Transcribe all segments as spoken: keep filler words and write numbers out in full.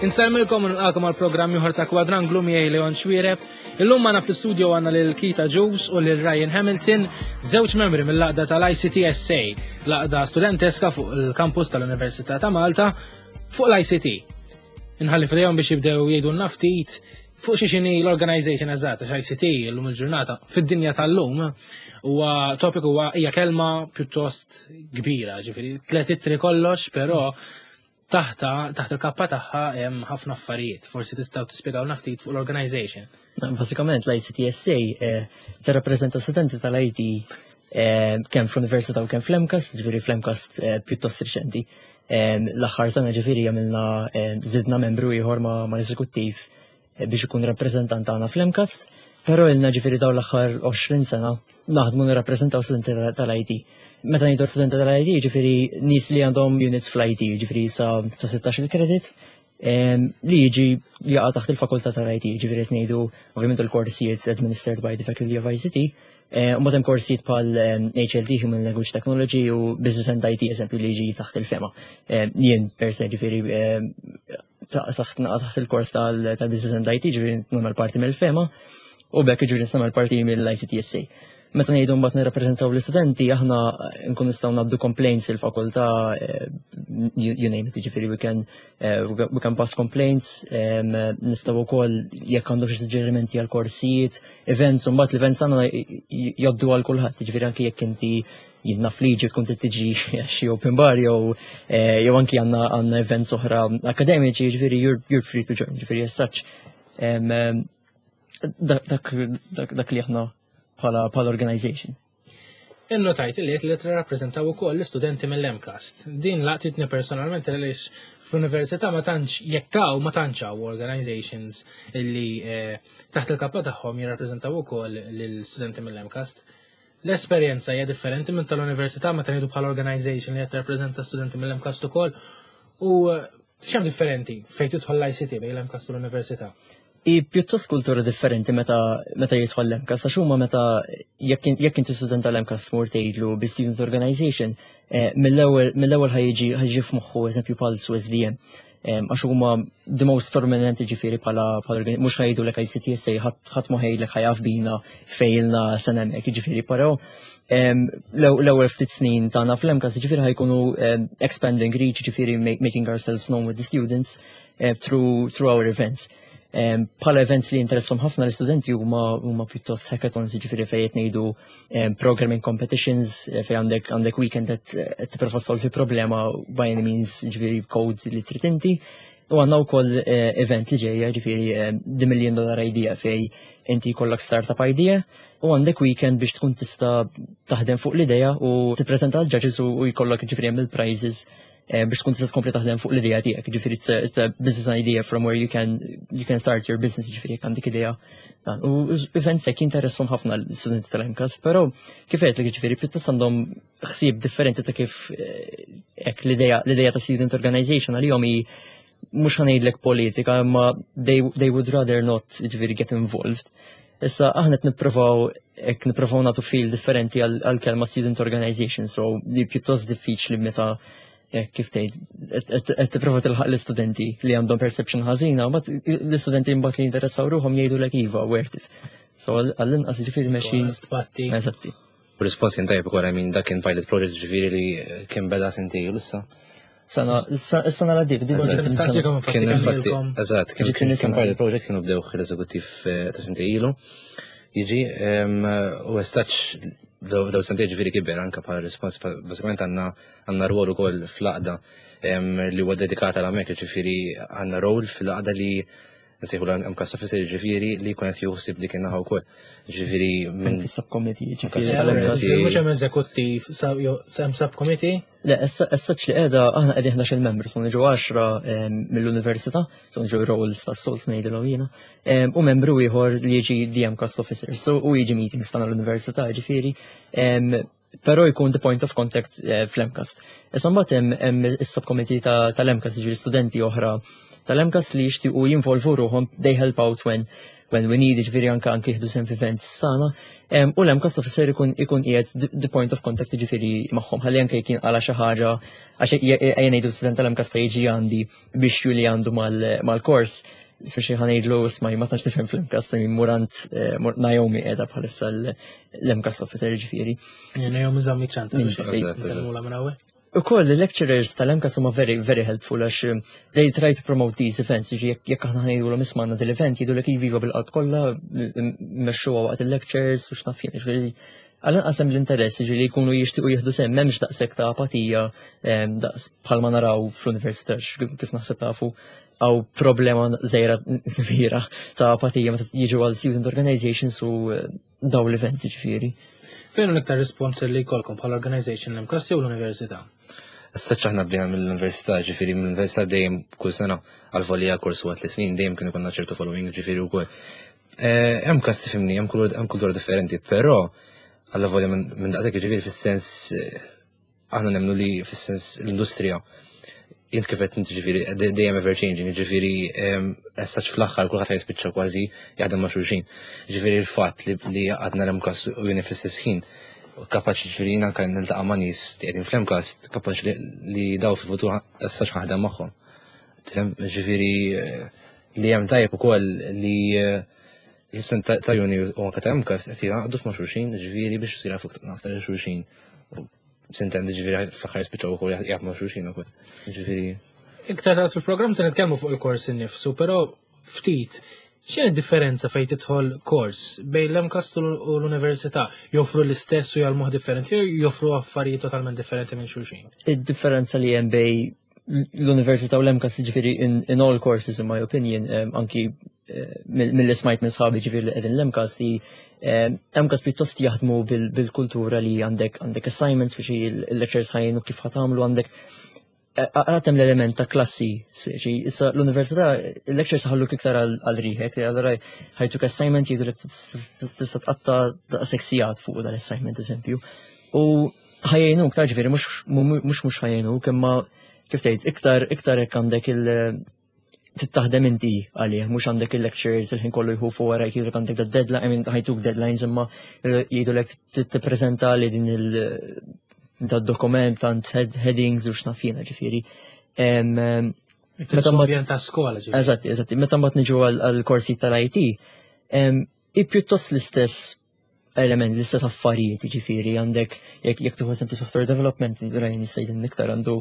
Insellmilkom u nilqagħkom għal programm ieħor ta' Kwadranglu miegħi Leon Xuereb. Illum magħna fl-istudio għandna lil Keith Agius u lil Ryan Hamilton, żewġ membri mill-għaqda tal-I C T S A, l-għaqda studenteska fuq il-kampus tal-Università ta' Malta fuq l-I C T. Inħalli f'idejhom biex jibdew jgħidu ftit fuq xi xini l-organization eżatt, għax I C T illum il-ġurnata fid-dinja tal-lum huwa topic, huwa hija kelma pjuttost kbira, ġifieri tliet ittri kollox, però taħta taħt il-kappa tagħha hemm ħafna affarijiet. Forsi tistgħu tispjegaw ftit fuq l-organization. Basikament l-I C T S A eh, tirrappreżenta studenti tal-I T eh, kemm fl-Università u kemm fl-MCAST, ġifieri fl-MCAST eh, pjuttost riċenti. L-aħħar sena ġifieri għamilna żidna membru ieħor ma' l-eżekuttiv biex ikun rappreżentant tagħna fl-MCAST, però ilna ġifieri dawn l-aħħar għoxrin sena naħdmu nirrappreżentaw studenti tal-I T. Meta ngħidu studenti tal-I T, ġifieri nies li għandhom units fl-I T, ġifieri sa sittax il-credit, li jiġi jaqa' taħt il-fakultà tal-I T, ġifieri qed ngħidu ovvjament il-korsijiet administered by the Faculty of I C T, u mbagħad hemm korsijiet bħal H L T, Human Language Technology, u Business and I T, eżempju, li jiġi taħt il-FEMA. Jien per se ġifieri taħt taħt il-kors tal-Business and I T, ġifieri nagħmel parti mill-FEMA, u b'hekk ġifieri nagħmel parti mill-I C T S A. Meta ngħidu mbagħad nirrappreżentaw l-istudenti, aħna nkun nistgħu ngħaddu complaints il-fakultà, eh, you name it, ġifieri we can eh, we can pass complaints, nistgħu wkoll jekk għandu xi suġġerimenti għal korsijiet, events, u mbagħad l-events tagħna jgħoddu għal kulħadd, ġifieri anke jekk inti jidna fliġi tkun tiġi xi open bar jew eh, jew anki għandna għandna events oħra akademiċi, ġifieri you're, you're free to join, ġifieri as such. Dak dak li aħna bħala bħala organization. Innotajt li li tirrappreżentaw ukoll l-istudenti mill-MCAST. Din laqtitni personalment għaliex fl-università ma tantx jekkaw ma tantx hawn organizations illi eh, taħt il-kappa tagħhom jirrappreżentaw ukoll l-istudenti mill-MCAST. L-esperjenza hija differenti minn tal-università meta ngħidu bħala organization li qed tirrappreżenta studenti mill-MCAST ukoll u eh, x'hemm differenti fejn tidħol l-I C T bejn l-MCAST u l-università? I pjuttost kultura differenti meta meta jidħol l-MCAST, għax huma meta jekk jekk inti student tal-MCAST tmur tgħidlu bi student organization, eh, mill-ewwel mill-ewwel ħa jiġi ħa jiġi f'moħħu eżempju bħal S D M. Għax huma the most prominent, ġifieri bħala bħala mhux ħa jgħidulek I C T S A, ħadd ma ħa jgħidlek ħa jaf bina fejlna sena hemmhekk, ġifieri però l-ewwel ftit snin tagħna fl-MCAST ġifieri ħa jkunu expanding reach, ġifieri making ourselves known with the students eh, through through our events. Bħala events li interessom ħafna l-istudenti huma huma pjuttost hackathons, ġifieri fejn qed ngħidu programming competitions, eh, fejn għandek għandek weekend qed tipprova solvi problema by any means, ġifieri code li trid inti. U għandna wkoll eh, event li ġejja, ġifieri The Million Dollar Idea, fejn inti jkollok startup idea u għandek weekend biex tkun tista' taħdem fuq l-idea u tippreżenta l-judges u jkollok ġifieri hemm il-prizes eh, biex tkun tista' tkompli taħdem fuq l-idea tiegħek. Ġifieri it's a, it's a business idea from where you can you can start your business, ġifieri jekk għandek idea. U events hekk jinteressom ħafna l-studenti tal-MCAST, però kif għedtlek, ġifieri pjuttost għandhom ħsieb differenti ta' kif eh, hekk l-idea l-idea ta' student organization għalihom hi mhux ħa ngħidlek politika, imma they, they would rather not ġifieri get involved. Issa aħna qed nippruvaw hekk nippruvaw nagħtu feel differenti għal kelma student organization, so li pjuttost diffiċli meta kif tgħid qed tipprova tilħaq l-istudenti li għandhom perception ħażina, mbagħad l-istudenti mbagħad li jinteressaw ruħhom jgħidulek iva, worth it. So għall-inqas ġifieri mexjin. Eżatti. U rispons kien tajjeb ukoll, I mean, dak kien pilot project ġifieri li kien beda sentejn issa. Sena, is-sena l-għaddiet. Kien infatti, eżatt, kien kien pilot project kienu bdew l-eżekuttiv eh, ta' sentejn ilu. Jiġi, u as such, daw sentejn ġifieri kiber anka bħala rispons, basikament għandna għandna rwol ukoll fl-għaqda li huwa dedikata għal hemmhekk, ġifieri għandna rol fl-għaqda li nsejħu l-MCAST officer, ġifieri li jkun qed juħsib dik in-naħa wkoll. Ġifieri minn subcommittee, ġifieri. Mhux hemm eżekuttiv, hemm subcommittee? Le, issa li qiegħda aħna qegħdin ħdax-il membru, so niġu għaxra mill-università, so niġu roles tas-solt ngħidilhom jiena, u membru ieħor li jiġi the MCAST officer, so u jiġi meetings tagħna l-università, ġifieri, però jkun the point of contact eh, fl-MCAST. Issa mbagħad hemm is-subcommittee tal-MCAST, ġifieri studenti oħra tal-MCAST li jixtiequ jinvolvu ruħhom, they help out when when we need, ġifieri anka anke jieħdu sehem f'events tagħna. Em, U l-MCAST officer ikun ikun qiegħed the- the point of contact ġifieri magħhom, ħalli anke jkun għala xi ħaġa għax ejja ngħidu student tal-MCAST jiġi għandi biex li għandu mal-kors, speċi ħa ngħidlu isma' ma tantx nifhem fl-MCAST, murant eh, mur- Naomi qiegħda bħalissa l-MCAST officer ġifieri. Naomi Zammit ċanta, Mm, eżatt, nsemmula minn hawnhekk. U koll il-lecturers tal-MCAST huma very, very helpful għax um, they try to promote these events, jiġi jekk jekk aħna ngħidu l isma' għandna dil-event jgħidu lek iva bil-qalb kollha mmexxuha waqt il-lectures u x'naf jien, ġifieri għal-inqas hemm l-interess ġifieri jkunu jixtiequ jieħdu sehem m'hemmx daqshekk ta' apatija em, daqs bħalma naraw fl-università x- kif naħseb tafu għaw problema żgħira kbira ta' apatija meta jiġu għal student organizations u eh, daw l-events ġifieri. Fejn hu l-iktar respons li jkollkom bħala organization l-MCAST jew l-università? Issa aħna bdejna mill-università, ġifieri mill-università dejjem kull sena għal-volja kors waqt li snin dejjem kienu konna ċertu following, ġifieri wkoll. Eh, Hemm kas tifhimni, hemm kultura hemm kultura differenti, però għalla volja minn minn daqshekk ġifieri fis-sens eh, aħna nemmnu li fis-sens l-industrija jint kif qed inti ġifieri de- dejjem ever changing, ġifieri as such fl-aħħar kulħadd jispiċċa kważi jaħdem ma' xulxin. Ġifieri l-fatt li li għadna l-MCAST u jien fl-istess ħin kapaċi ġifieri jien anke niltaqa' ma' nies li qegħdin fl-MCAST kapaċi li- li daw fil-futur as such ħaħdem magħhom. Tifhem? Ġifieri eh, li hemm tajjeb ukoll li eh, l-istudent ta' ta' uni u anke ta' MCAST qed jingħaqdu f'ma' xulxin, ġifieri biex jisiru aktar xulxin. U Sintendi ġifieri fl-aħħar jispiċċaw ukoll jaħdmu ma' xulxin ukoll. Ġifieri Iktar tard fil-programm se nitkellmu fuq il-kors innifsu, però ftit x'inhi differenza fejn tidħol kors bejn l-MCAST u l-università? Joffru l-istess u jgħallmuh differenti jew joffru affarijiet totalment differenti minn xulxin? Id-differenza li hemm bej l-Università u l-MCAST ġifieri in, in all courses in my opinion, um, anki uh, mill-li smajt minn sħabi ġifieri li qegħdin l-MCAST li um, MCAST pjuttost jaħdmu bil- bil-kultura li għandek għandek assignments biex il-lectures ħa jgħinu kif ħa tagħmlu għandek għatem l-element ta' klassi, speċi, issa l-università, il-lectures ħalluk iktar għal riħek, allora ħa jtuk assignment jgħidu tista' tqatta daqshekk sigħat fuq dal-assignment eżempju. U ħa jgħinuk, ta' ġifieri, mhux mhux ħa jgħinuk, imma kif tgħid, iktar iktar hekk għandek il- tittaħdem inti għalih, mhux għandek il-lectures il-ħin kollu jħufu wara jgħidulek għandek da deadline, I mean ħa jtuk deadlines imma jgħidulek tippreżenta li din il- da dokument tant head, headings u x'naf jiena ġifieri. Em, em, Meta ambjent ta' skola ġifieri. Eżatt, eżatt. Meta mbagħad niġu għal-korsi tal-IT, em, i pjuttost l-istess element, l-istess affarijiet, ġifieri, għandek jekk jekk tieħu eżempju software development, Ryan jista' jgħidilna iktar għandu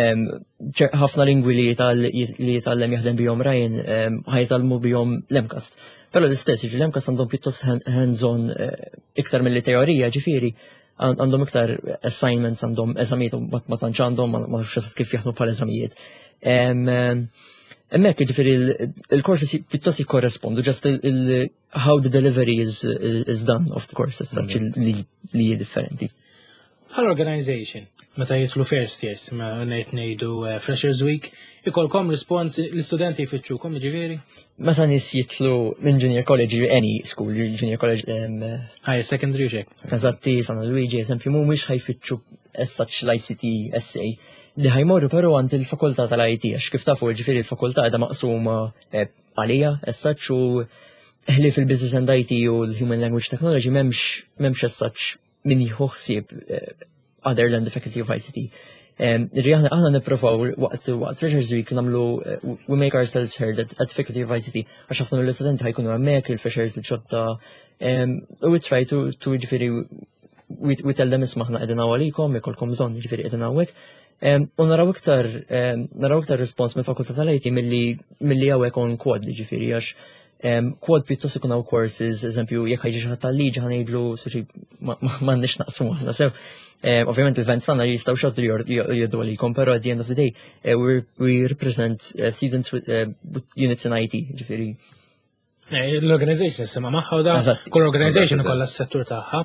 em, ċer- ħafna lingwi li jital- li jitgħallem jaħdem bihom Ryan em, ħa jitgħallmu bihom l-MCAST. Però l-istess, ġifieri l-MCAST għandhom pjuttost hand- hands-on eh, iktar mill teorija, ġifieri, għand- għandhom iktar assignments, għandhom eżamijiet, u ma ma tantx għandhom, ma ma nafx eżatt kif jaħdmu bħal eżamijiet. Em, em, Hemmhekk ġifieri il-courses pjuttost jikkorrespondu, just il, il, how the delivery is, is done of the courses, such li li hi differenti. Bħal organization, meta jidħlu first years, ma ngħid ngħidu eh, Freshers Week, ikolkom respons l-istudenti jfittxukom ġifieri? Meta nies jitilgħu minn junior college, any school, junior college, um, High secondary xek. Eżatti, San Luigi, eżempju, mhumiex ħa jfittxu as such l-ICT SA. Li ħa jmorru però għand il-fakultà tal-IT, għax kif tafu ġifieri il-fakultà qiegħda maqsuma eh, għalija, as such, u ħli fil-Business and IT u l-Human Language Technology m'hemmx m'hemmx as such min jieħu ħsieb eh, other than the Faculty of ICT. Um, Ri aħna aħna nipprovaw waqt waqt Freshers Week nagħmlu eh, we make ourselves heard at, at Faculty of ICT għax ħafna mill-istudenti ħa jkunu hemmhekk il-freshers il-ġodda um, we try to to ġifieri we, we tell them isma' aħna qegħdin hawn għalikom, ikolkom bżonn ġifieri qegħdin hawnhekk. Um, u naraw iktar um, naraw iktar respons mill-fakultà tal-IT milli milli hawnhekk on quad ġifieri għax um, quad pjuttost ikun hawn courses, eżempju, jekk ħa jiġi xi ħadd tal-liġi ħa ngħidlu speċi ma- ma- m'għandniex naqsmu aħna sew. Um, ovvjament il-events tagħna jistgħu xoddu li jgħoddu għalikom, però at the end of the day uh, we, we represent uh, students with, uh, with units in IT, ġifieri. Eh, L-organization sema magħha u da, Eżatt. kull organization Eżatt, ikollha s-settur tagħha.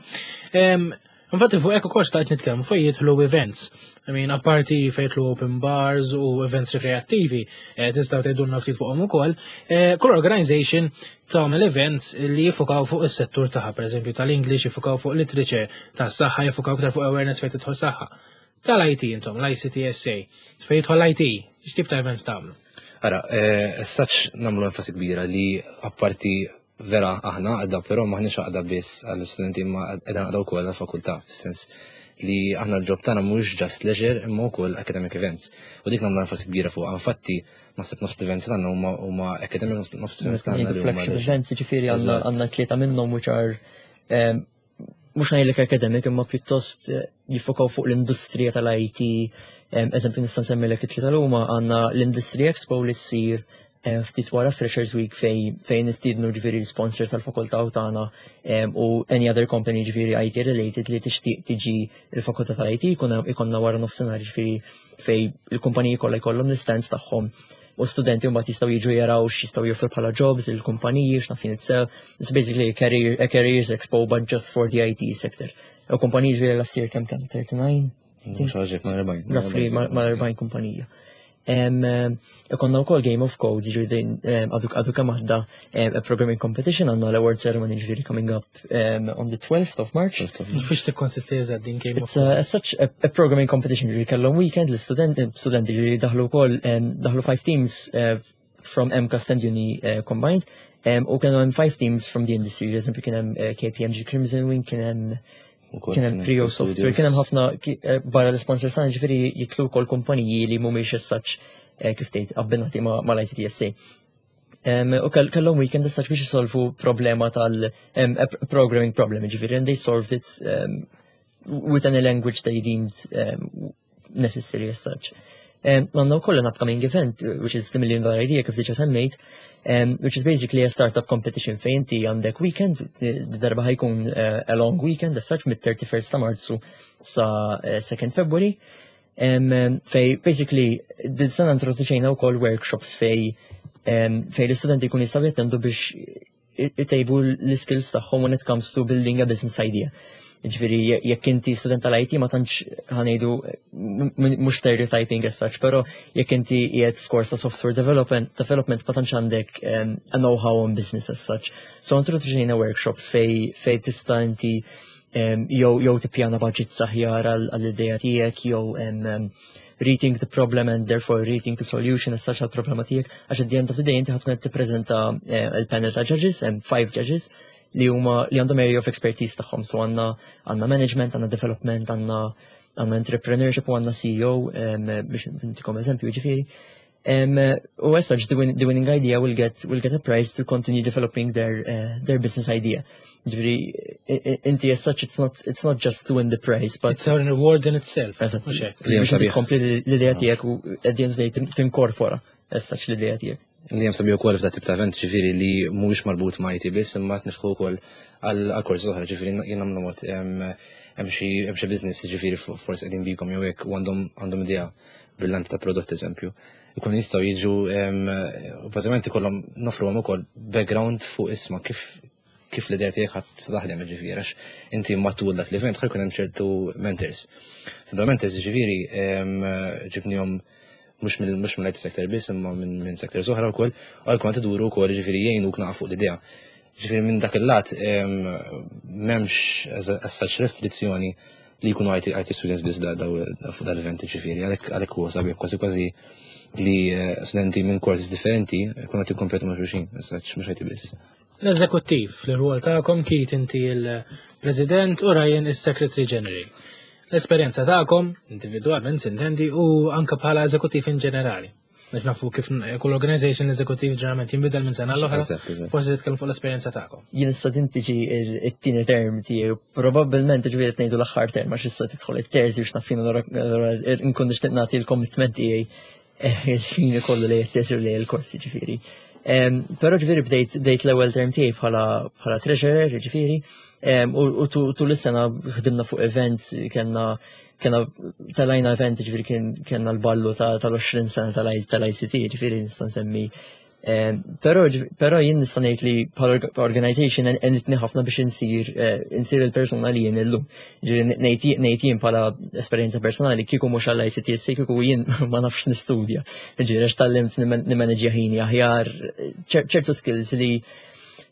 Em, Infatti fuq hekk ukoll xtaqt nitkellmu fuq jidħlu events. I mean, apparti fejn jidħlu open bars u events rekreattivi, eh, tistgħu tgħidulna ftit fuqhom ukoll. eh, Kull organization tagħmel events li jifukaw fuq is-settur tagħha, pereżempju tal-English jifukaw fuq literature, tas-saħħa jifukaw iktar fuq awareness fejn tidħol saħħa. Tal-IT intom, l-ICTSA, fejn jidħol l-IT, x'tip ta' events tagħmlu? Ara, eh, as such nagħmlu enfasi kbira li apparti Vera aħna għaqda, però m'aħniex għaqda biss għall-studenti, imma qegħda għaqda wkoll għall-fakultà, fis-sens li aħna l-job tagħna mhux just leisure imma wkoll academic events. U dik nagħmlu enfasi kbira fuq. Infatti naħseb nofs events tagħna huma huma academic, nofs events tagħna li huma flagship leisure. Events, ġifieri għandna Eżatt. għandna tlieta minnhom which are um, mhux ngħidlek academic, imma pjuttost eh, jiffokaw fuq l-industrija tal-I T. Um, eżempju, nista' nsemmilek it-tlieta l huma. Għandna l-Industry Expo li ssir eh, ftit wara Freshers Week, fej fejn nistiednu ġifieri sponsors tal-fakultà u tagħna um, u any other company ġifieri I T related li tixtieq tiġi il-fakultà tal-I T. Ikonna wara nofsinhar ġifieri fej il-kumpaniji kollha jkollhom l-stands tagħhom u studenti mbagħad jistgħu jiġu jaraw x'jistgħu joffru bħala jobs il-kumpaniji, x'naf jien itself. It's basically a career a careers expo, but just for the I T sector. U kumpaniji ġifieri last year kemm kien, thirty-nine? Mhux ħaġa ma' erbgħin. Roughly mal-erbgħin kumpanija. Em, em, Ikonna wkoll Game of Codes, ġifieri din, em, għadu għadu kemm għadda em, a programming competition, għandna l-award ceremony ġifieri coming up um, on the twelfth of March. Fiex tikkonsisti eżatt din Game of It's, a, it's such a, a programming competition, ġifieri kellhom weekend l-studenti, studenti ġifieri daħlu wkoll um, daħlu five teams uh, from MCAST and Uni uh, combined, um, u kienu hemm five teams from the industry, eżempju kien hemm uh, K P M G Crimson Wing, kien hemm kien hemm Prio Software, kien hemm ħafna ki- eh, barra l-sponsors tagħna, ġifieri jitlu wkoll kumpaniji li mhumiex as such eh, kif tgħid abbinati ma' mal-I C T S A. Um, u kell- kellhom weekend as such biex jisolvu problema tal um, a programming problem, ġifieri, and they solved it um, with any language they deemed um, necessary as such. Um, Għandna wkoll an upcoming event, uh, which is the Million Dollar Idea, kif diġa semmejt, um, which is basically a startup competition fejn inti għandek weekend, eh, darba ħa jkun uh, a long weekend, as such, mit-thirty-first ta' Marzu sa uh, second February, um, um, fej basically din sena introduċejna wkoll workshops fej um, fej l-istudenti jkun jistgħu jattendu biex itejbu l-skills tagħhom when it comes to building a business idea. Ġifieri, jekk inti student tal-I T, ma tantx ħa ngħidu, mhux stereotyping as such, pero jekk inti qiegħed f'kors ta' software development, development ma tantx għandek um, a know-how on business as such. So introduċejna workshops fej fej tista' inti um, jew jew tippjana budget aħjar għall-idea tiegħek, jew um, um, rethink the problem and therefore rethink the solution as such għal-problema tiegħek, għax at the end of the day inti ħa tkun qed tippreżenta eh, il-panel ta' judges, hemm five judges li huma li għandhom area of expertise tagħhom. So għandna għandna management, għandna development, għandna għandna entrepreneurship u għandna C E O, um, biex ntikom eżempju ġifieri. Um, u as such, the, win the winning idea will get will get a prize to continue developing their uh, their business idea. Ġifieri, inti as such, it's not it's not just to win the prize, but It's a reward in itself. Eżatt. Mhux hekk? Li hemm Biex sabiħ. tkompli l-idea tiegħek u at the end of the day tinkorpora as such l-idea tiegħek. Li hemm sabiħ ukoll f'dat tip ta' event, ġifieri li mhuwiex marbut ma' I T biss, imma nifħu wkoll għal korsi oħra, ġifieri jien nagħmlu mod hemm xi hemm xi business, ġifieri forsi qegħdin bikom jew hekk, u għandhom għandhom idea brillanti ta' prodott, eżempju. Ikun jistgħu jiġu u bażikament ikollhom nofruhom ukoll background fuq isma' kif kif l-idea tiegħek ħadd taħdem, ġifieri għax inti matul dak l-event ħa jkun hemm ċertu mentors. So dawn mentors ġifieri ġibnihom mhux mill mhux mill-I T sector biss, imma minn minn sectors oħra wkoll, u għal kont iduru wkoll, ġifieri jgħinuk naqa' fuq l-idea. Ġifieri minn dak il-lat m'hemmx as such restrizzjoni li jkunu I T, I T students biss da, da, fuq dal-event, ġifieri għalhekk għalhekk huwa sabiħ kważi kważi li eh, studenti minn courses differenti jkunu qed jikkompetu ma' xulxin, as such mhux I T biss. L-eżekuttiv, l-rwol tagħkom, Keith inti il-President u Ryan il-Secretary General. L-esperjenza tagħkom, individualment sintendi, u anka bħala eżekuttiv in ġenerali. Biex nafu kif kull organization eżekuttiv ġeneralment jinbidel minn sena l-oħra. Eżatt, eżatt. Forsi titkellem fuq l-esperjenza tagħkom. Jien issa din tiġi it-tieni term tiegħi, probabbilment ġifieri qed ngħidu l-aħħar term, għax issa tidħol it-teżi biex naf jien, allura nkun nixtieq nagħti l-commitment tiegħi eh, il-ħin kollu li t-teżi u li l-korsi ġifieri. Em, Però ġifieri bdejt bdejt l-ewwel term tiegħi bħala bħala treasurer ġifieri, em, u u tu- tul is-sena ħdimna fuq events, kellna kena telajna event, ġifieri kien kellna l-ballu ta' tal-għoxrin sena tal-I C T, ġifieri nista' nsemmi. Em, Però però jien nista' ngħid li bħala organization għenitni ħafna biex insir eh, insir il-persuna li jien illum. Ġifieri ngħid ngħid jien bħala esperjenza personali, kieku mhux għall-I C T S A, kieku jien ma nafx nistudja. Ġifieri għax tgħallimt nimmaneġġja ħini aħjar, ċer- ċertu skills li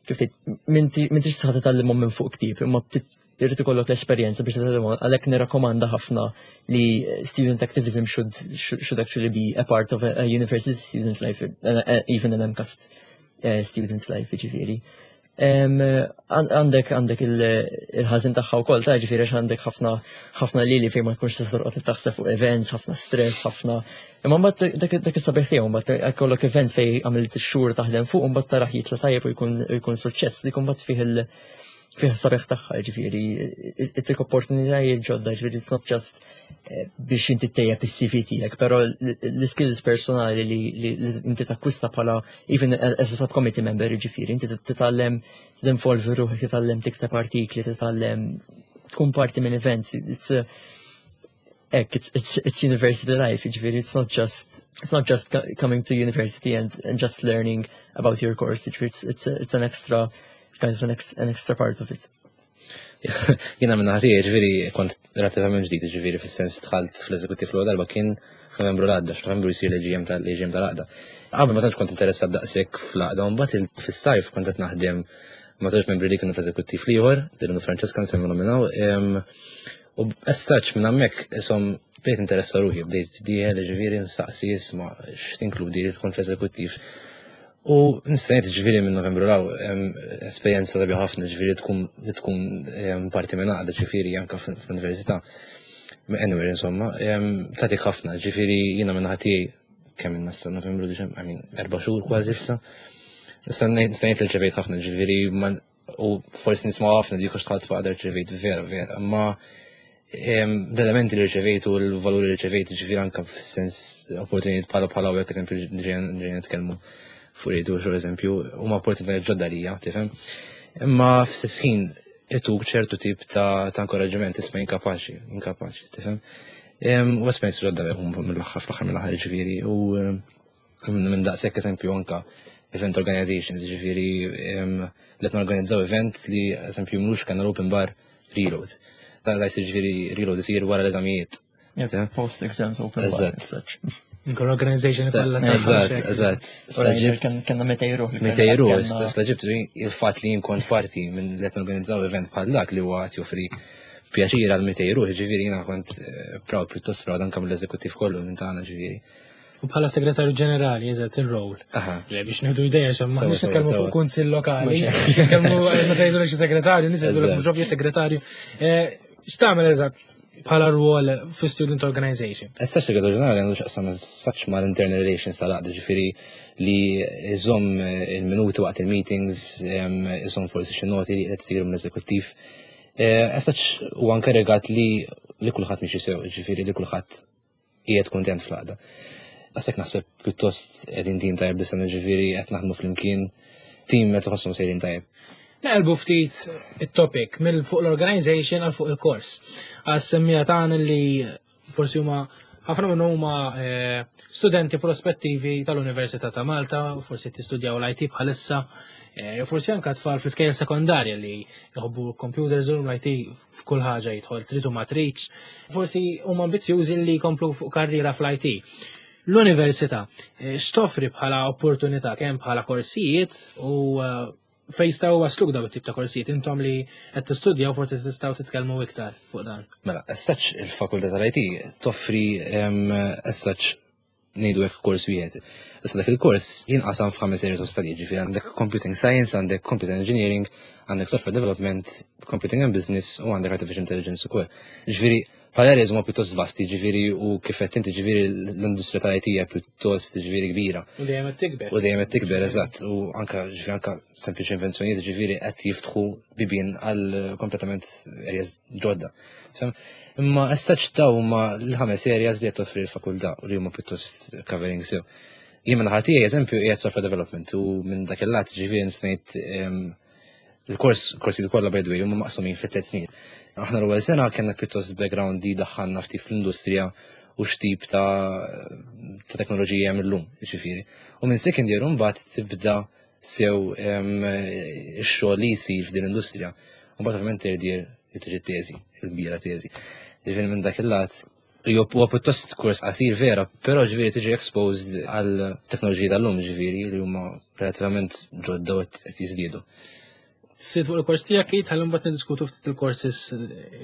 kif tgħid m'intix tista' titgħallimhom minn fuq ktieb, imma btit- irid ikollok l-esperjenza biex titgħallimhom. Għalhekk nirrakkomanda ħafna li student activism should should, should actually be a part of a, a university student's life, uh, uh, even an MCAST uh, student's life, ġifieri. Għandek għandek il-ħażin tagħha wkoll ta' ġifieri għax għandek ħafna ħafna lili fejn ma tkunx tista' torqod taħseb fuq events, ħafna stress, ħafna. Imma mbagħad dak dak is-sabiħ tiegħu mbagħad jkollok event fejn għamilt xhur taħdem fuq u mbagħad tarah jitla' tajjeb u jkun jkun suċċess dik mbagħad fih il fih sabiħ tagħha, ġifieri ittik opportunitajiet ġodda, ġifieri it's not just eh, biex inti ttejjeb is-C V tiegħek, però l-skills personali li li inti takkwista bħala even as a subcommittee member, ġifieri inti titgħallem tinvolvi ruħek, titgħallem tikteb artikli, titgħallem tkun parti minn events. It's a, ek, it's, it's, it's university life, ġifieri it's not just it's not just coming to university and, and just learning about your course, ġifieri it's, it's, it's an extra kind of an, ex, an extra part of it. Jiena minn ħati, ġifieri, kont relattivament ġdid, ġifieri, fis-sens dħalt fl-eżekuttiv l darba kien f'Novembru l-għadda, f'Novembru jisir l-A G M tal-A G M tal-għaqda. Qabel ma tantx kont interessat daqshekk fl-għaqda, mbagħad fis-sajf kont qed naħdem ma' żewġ membri li kienu fl-eżekuttiv l-ieħor, Dylan u Francesca nsemmi nominaw, u as such minn hemmhekk isom bdejt interessa ruħi, bdejt dieħel, ġifieri, nsaqsi, isma' x'tinkludi li tkun fl-eżekuttiv. U nista' ngħid, ġifieri, minn Novembru 'l hawn esperjenza sabiħa ħafna, ġifieri tkun li tkun parti minn għaqda, ġifieri anke fl-università. Anyway, insomma, tagħtik ħafna, ġifieri jiena minn ħati kemm minn nassa Novembru, I mean, erba' xhur kważi issa. Nista' ngħid li rċevejt ħafna, ġifieri, u forsi nisma' ħafna dik għax dħalt f'għaqda rċevejt vera, vera, imma l-elementi li rċevejt u l-valuri li rċevejt, ġifieri anke fis-sens opportunitajiet bħala bħala hawnhekk, eżempju, ġejna nitkellmu fuq rejdu, per eżempju, huma opportunitajiet ġodda lija, tifhem? Imma f'stess ħin ituk ċertu tip ta' ta' inkoraġġiment, isma' inkapaċi, inkapaċi, tifhem? U esperjenzi ġodda mill-aħħar fl-aħħar mill-aħħar, ġifieri, u minn daqshekk, eżempju, anka event organizations, ġifieri li qed norganizzaw event li, eżempju, mlux kellna l-open bar reload. Da jsir, ġifieri, reload isir wara l-eżamijiet. Post exams open bar. Eżatt. Nkun organization kollha ta' Eżatt, eżatt. Staġibt. Kellna mitejn ruħ. Mitejn ruħ, stagħġibt il-fatt li jien kont parti minn li qed norganizzaw event bħal dak li huwa qed joffri pjaċir għal mitejn ruħ, ġifieri jiena kont eh, proud, pjuttost proud anke mill-eżekuttiv kollu minn tagħna, ġifieri. U bħala segretarju ġenerali, eżatt ir-rol. Aha. Le, biex nieħdu ideja xa ma Sewa, nix sewa, nitkellmu sewa. fuq kunsill lokali. Nitkellmu meta jgħidu xi segretarju, nies jgħidu Eżatt. mhux ovvja segretarju. Eh, X'tagħmel eżatt bħala rwol fi student organization? Issa segretarju ġenerali għandu x'jaqsam such mal-internal relations tal-għaqda, ġifieri li iżomm il-minuti waqt il-meetings, em, iżomm forsi xi noti li qed isiru mill-eżekuttiv. As such huwa inkarigat li li kulħadd miexi sew, ġifieri li kulħadd qiegħed kuntent fl-għaqda. Għasek naħseb pjuttost qegħdin tim tajjeb dis-sena, ġifieri qed naħdmu flimkien, tim qed iħosshom sejrin tajjeb. Naqilbu ftit it-topic mill fuq l-organization għal fuq il-kors. Għas-semmija tagħna li forsi huma ħafna minnhom huma eh, studenti prospettivi tal-Università ta' Malta, forsi tistudjaw l-I T bħalissa, eh, forsi anke tfal fl-iskejjel sekondarja li jħobbu computers u l-I T f'kull ħaġa jidħol trid u ma tridx. Forsi huma ambizzjużi li jkomplu fuq karriera fl-I T. L-università eh, x'toffri bħala opportunità kemm bħala korsijiet u eh, fejn jistgħu wasluk daw it-tip ta' korsijiet intom li qed tistudjaw, forsi tistgħu titkellmu iktar fuq dan? Mela, as such il-fakultà tal-I T toffri em, as such ngħidu hekk kors wieħed. Issa dak il-kors jinqasam f'ħames areas of study, ġifieri għandek computing science, għandek computer engineering, għandek software development, computing and business u għandek artificial intelligence ukoll. Ġifieri bħala areas huma pjuttost vasti, ġifieri, u kif qed inti, ġifieri l-industrija tal-I T hija pjuttost, ġifieri, kbira. U dejjem qed tikber. U dejjem qed tikber, eżatt, u anka ġifieri anka sempliċi invenzjonijiet, ġifieri, qed jiftħu bibien għal kompletament areas ġodda. Tifhem? Imma as such daw huma l-ħames areas li qed toffri l-fakultà u li huma pjuttost covering sew. Jien minn ħati, eżempju, qiegħed software development u minn dak il-lat ġifieri nsnejt il-kors, korsi kollha, by the way, huma maqsumin fi tliet snin. Aħna l-ewwel sena kellna pjuttost background li daħħalna ftit fl-industrija u x'tip ta' ta' teknoloġija hemm illum, ġifieri. U minn second year mbagħad tibda sew em, ix-xogħol li jsir f'din l-industrija. U mbagħad ovvjament third year li tiġi teżi, il-kbira teżi. Ġifieri minn dak il-lat huwa pjuttost kors qasir vera, però ġifieri tiġi exposed għal teknoloġiji tal-lum, ġifieri li huma relativament ġodda u qed jiżdiedu. Ftit fuq il-kors tiegħek, Keith, ħalli mbagħad niddiskutu ftit il-courses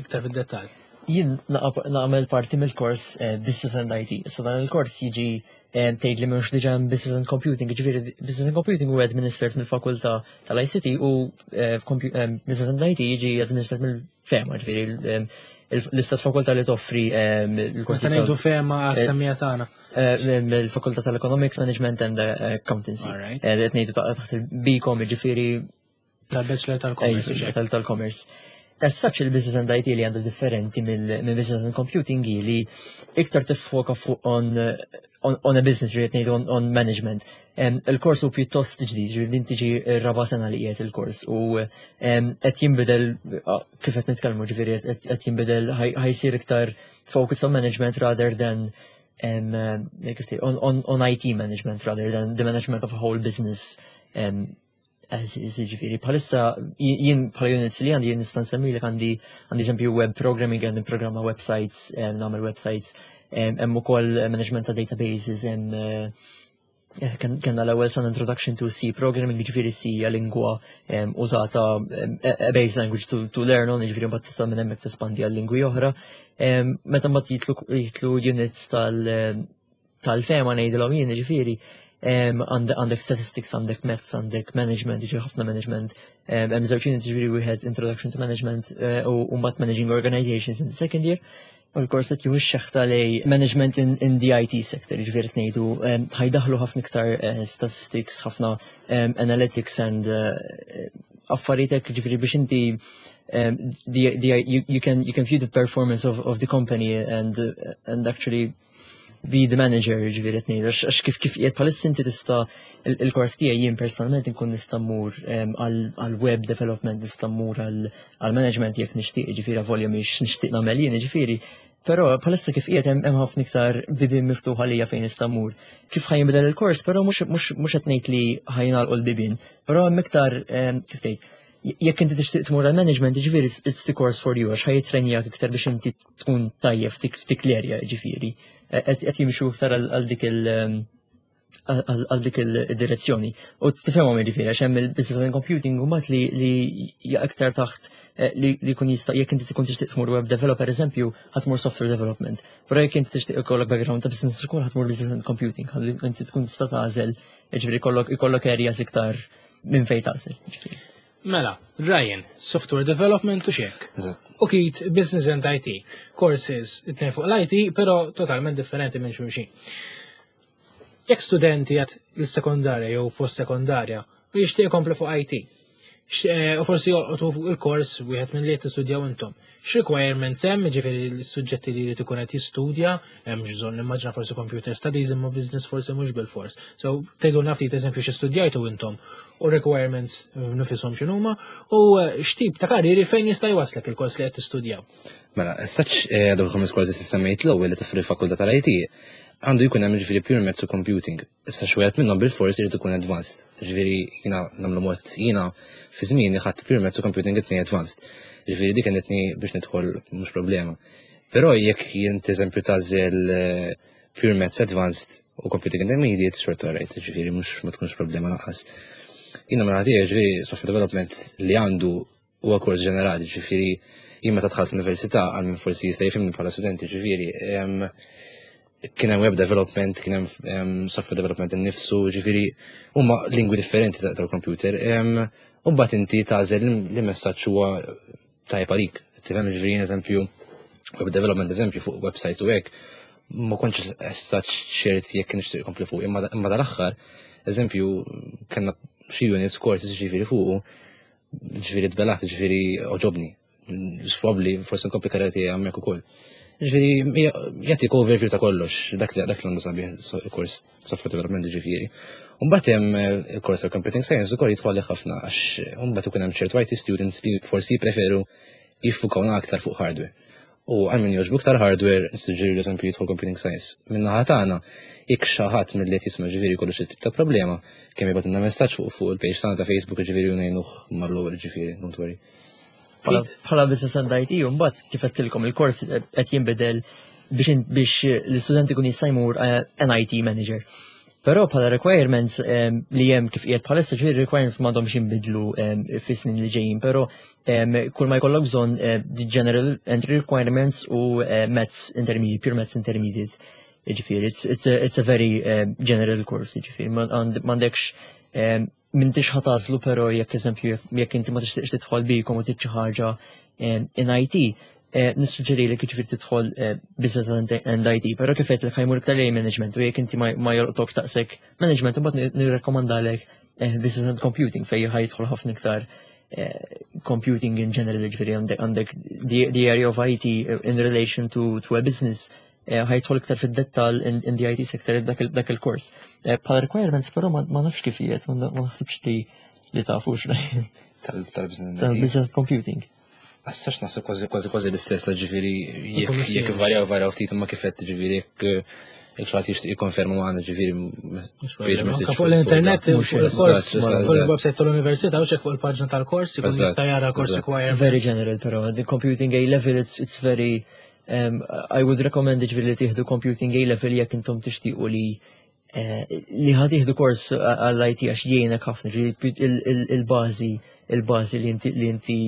iktar fid-dettall. Jien nagħmel parti mill-kors eh, Business and I T. Issa dan il-kors jiġi eh, tgħid li mhux diġà hemm Business and Computing, ġifieri Business and Computing huwa administered mill-fakultà tal-I C T u eh, Business and I T jiġi administered mill-FEMA, ġifieri l-istess fakultà li toffri il-kors. Meta ngħidu FEMA, għas-semmiegħa tagħna. Mill-fakultà tal-Economics, Management and Accountancy. Qed ngħidu taħt il-BCom, ġifieri tal-Bachelor tal-Commerce. Tal-Commerce. As such, il-Business and I T li għandu differenti mill Business and Computing li iktar tiffoka fuq on, on, on a business, rrid ngħidu on, on management. Il-kors hu pjuttost ġdid, ġifieri din tiġi r-raba' sena li qiegħed il-kors u qed jinbidel kif qed nitkellmu, ġifieri qed jinbidel, ħa jsir iktar focus on management rather than um, on, on, on I T management rather than the management of a whole business um, as is. Ġifieri, bħalissa jien bħala units li għandi, jien nista' nsemmi li għandi għandi eżempju web programming, għandi programma websites, nagħmel websites, hemm ukoll management ta' databases, hemm eh, kellna l-ewwel sena introduction to C programming, ġifieri C hija lingwa użata, a base language to, to learn on, ġifieri mbagħad tista' minn hemmhekk tespandi għal lingwi oħra. Meta mbagħad jidħlu units tal tal-FEMA ngħidilhom jien, ġifieri għandek statistics, għandek maths, għandek management, ġifieri ħafna management. Hemm żewġ units, ġifieri wieħed introduction to management eh, u mbagħad managing organizations in the second year. U l-kors qed jieħu x-xeħta lejn management in, in the I T sector, ġifieri ngħidu ħa jdaħħlu ħafna iktar eh, statistics, ħafna analytics and eh, affarijiet hekk, ġifieri biex inti um, the, the, you, you can you can view the performance of, of the company and and actually be the manager, ġifieri qed ngħidu, għax kif kif qiegħed bħalissa inti tista' il-kors tiegħi, jien personalment inkun nista' mmur għal web development, nista' mmur għal management jekk nixtieq, ġifieri volja mhix nixtieq nagħmel jien, ġifieri. Però bħalissa kif qiegħed hemm ħafna iktar bibien miftuħa lija fejn nista' mmur. Kif ħa jinbidel il-kors, però mhux mhux qed ngħid li ħa jingħalqu l-bibien, però hemm iktar, kif tgħid, jekk inti tixtieq tmur għal management, ġifieri it's the course for you, għax ħa jitrenjak iktar biex inti tkun tajjeb f'dik l-area, ġifieri. Qed jimxu iktar għal dik il- għal dik il-direzzjoni. U tifhemhom, ġifieri, għax hemm il-business and computing u mat li li aktar taħt eh, li jkun jista' jekk inti tkun tixtieq tmur web developer, eżempju, ħa tmur software development. Però jekk inti tixtieq ikollok background ta' business ukoll, ħa tmur business and computing, ħalli inti tkun tista' tagħżel, ġifieri ikollok ikollok areas iktar minn fejn tagħżel. Mela, Ryan, software development u xek. U Keith, business and I T. Courses, it fuq l-I T, pero totalment differenti minn xulxin. Jekk studenti għad l-sekondarja jew post-sekondarja u jixtieq ikompli fuq I T, eh, u forsi jolqotu fuq il-kors wieħed minn li qed tistudjaw intom. X'requirements hemm, ġifieri l-suġġetti li jrid ikun qed jistudja, hemm bżonn nimmaġina forsi computer studies, imma business forsi mhux bil-fors. So tgħidulna ftit eżempju xi studjajtu intom u requirements nifishom x'inhuma u eh, x'tip ta' karrieri fejn jista' jwaslek il-kors li qed tistudjaw. Mela, saċ eh, dawk il-ħames courses li semmejt l-ewwel li toffri l-fakultà tal-I T, għandu jkun hemm ġifieri pure maths u computing. Issa xi wieħed minnhom bil-fors irid ikun advanced. Ġifieri jiena nagħmlu mod, jiena fi żmieni ħadt pure maths u computing it-tnejn advanced. Ġifieri dik kienet biex nidħol mhux problema. Però jekk jint eżempju tagħżel eh, pure maths advanced u computing intermediate, xorta rajt, ġifieri mhux ma tkunx problema lanqas. Jiena ma nagħti, ġifieri software development li għandu huwa kors ġenerali, ġifieri jien meta dħalt l-università, għal min forsi jista' jifhimni bħala studenti, ġifieri kien hemm web development, kien hemm software development innifsu, ġifieri huma lingwi differenti tal-computer. U mbagħad inti tagħżel li messaġġ huwa tajjeb għalik. Tifhem, ġifieri eżempju web development, eżempju fuq websites u hekk, ma kontx essaċ ċert jekk nixtieq kompli fuq, imma dal-aħħar, eżempju, kellna xi units courses ġifieri fuqu, ġifieri tbelat, ġifieri għoġobni. Probably forsi nkompli karriera tiegħi hemmhekk ukoll. Ġifieri jagħtik overview ta' kollox, dak li dak li għandu sabiħ kors software development, ġifieri. Mbagħad hemm il-kors ta' computing science ukoll jidħol ħafna, għax mbagħad ikun hemm ċertu I T students li forsi jippreferu jiffukaw aktar fuq hardware. U għal min jogħġbu aktar hardware, nissuġġeri l-eżempju jidħol computing science. Min-naħa tagħna, jekk xi ħadd mill-li qed jisma' ġifieri kollu xi tip ta' problema, kemm jibgħatilna messaġġ fuq fuq il-page tagħna ta' Facebook, ġifieri u ngħinuh mal-ewwel, ġifieri, don't worry. Bħala business and I T, mbagħad kif għedtilkom il-kors qed jinbidel biex biex l-istudent ikun jista' jmur eh, an I T manager. Però bħala requirements li hemm kif qiegħed bħalissa, ġifieri requirements m'għandhomx jinbidlu fis-snin li ġejjin, però kull ma jkollok bżonn the general entry requirements u maths intermediate, pure maths intermediate. Ġifieri, it's, it's, a, it's a very general course, ġifieri, m'għandekx m'intix ħa tagħżlu, però jekk, eżempju, jekk inti ma tixtieqx tidħol BCom u trid xi ħaġa in I T, nissuġġeri li ġifieri tidħol business and I T, però kif qed ħa jmur iktar lejn management u jekk inti ma jolqtokx daqshekk management, imbagħad nirrekkomandalek business and computing, fejn ħa jidħol ħafna iktar computing in general, ġifieri għandek the area of I T in relation to, to a business, ħa jidħol iktar fid-dettal in, in the I T sector dak il-kors. Bħala requirements però ma nafx kif qiegħed, ma naħsibx li li tafu. Tal-business computing. Assax naħseb kważi kważi kważi l-istess, ġifieri jekk jekk varjaw varjaw ftit, ma kif qed, ġifieri jekk jekk xi ħadd jixtieq jikkonferma magħna, ġifieri fuq l-internet, fuq il-kors, fuq il-website tal-università u fuq il-paġna tal-kors, ikun jista' jara course requirements. Very general, però the computing A level, it's it's very um, I would recommend, ġifieri, li tieħdu computing A level jekk intom tixtiequ li li ħa tieħdu kors għall-I T, għax jgħinek ħafna il-bażi il-bażi li inti li inti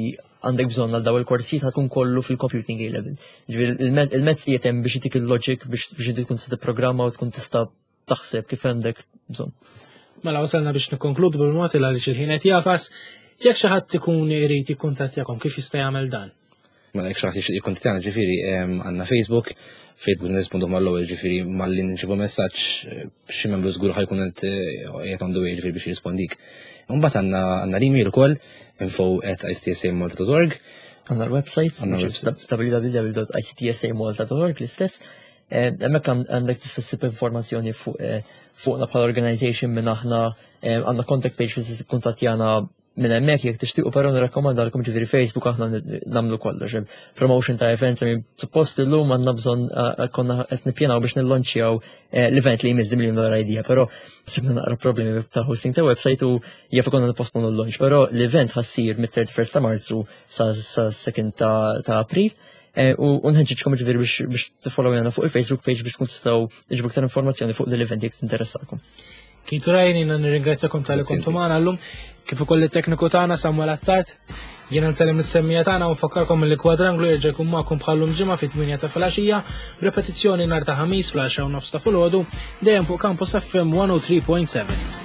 għandek bżonn għal daw il-korsijiet ħa tkun kollu fil-computing A level. Ġifieri il-maths qiegħed hemm biex itik il-logic biex biex tkun tista' tipprogramma u tkun tista' taħseb kif għandek bżonn. Mela wasalna biex nikkonkludu bil-mod il għaliex il-ħin qed jagħfas. Jekk xi ħadd ikun irid jikkuntattjakom, kif jista' jagħmel dan? Mela jekk xi ħadd jixtieq jikkuntattjana, ġifieri għandna Facebook, Facebook nirrispondu mal-ewwel, ġifieri malli nirċievu messaġġ, xi membru żgur ħa jkun qed qiegħed on the way, ġifieri, biex jirrispondik. Imbagħad għandna għandna l-email ukoll, info at I C T S A malta dot org. Għandna l-website, Għandna l-website. W W W dot I C T S A malta dot org l-istess. Hemmhekk għandek tista' ssib informazzjoni fuq fuqna bħala organization, minn aħna, għandna contact page fejn kuntattjana minn hemmhekk jekk tixtiequ, però nirrakkomandalkom ġifieri Facebook, aħna nagħmlu kollox. Promotion ta' events, I mean, suppost illum għandna bżonn, konna qed nippjanaw biex nillonċjaw l-event li jmiss, Million Dollar Idea, però sibna naqra problemi ta' hosting ta' website u jaf konna nipposponu l-launch, però l-event ħa ssir mit-thirty-first ta' Marzu sa' second ta' April. U nħeġġiġkom ġifieri biex biex tifollowjana fuq il-Facebook page biex tkun tistgħu tiġbu iktar informazzjoni fuq l-event jekk tinteressakom. Keith u Ryan, jiena nirringrazzjakom talli kontu magħna llum, kif ukoll it-tekniku tagħna Samuel Attard. Jiena nsellem lis-semmiegħa tagħna u nfakkarkom li Kwadranglu jerġa' jkun magħkom bħallum ġimgħa fit-tmienja ta' filgħaxija, repetizzjoni nhar ta' Ħamis fl-għaxra u nofs ta' filgħodu, dejjem fuq Campus F M one oh three point seven.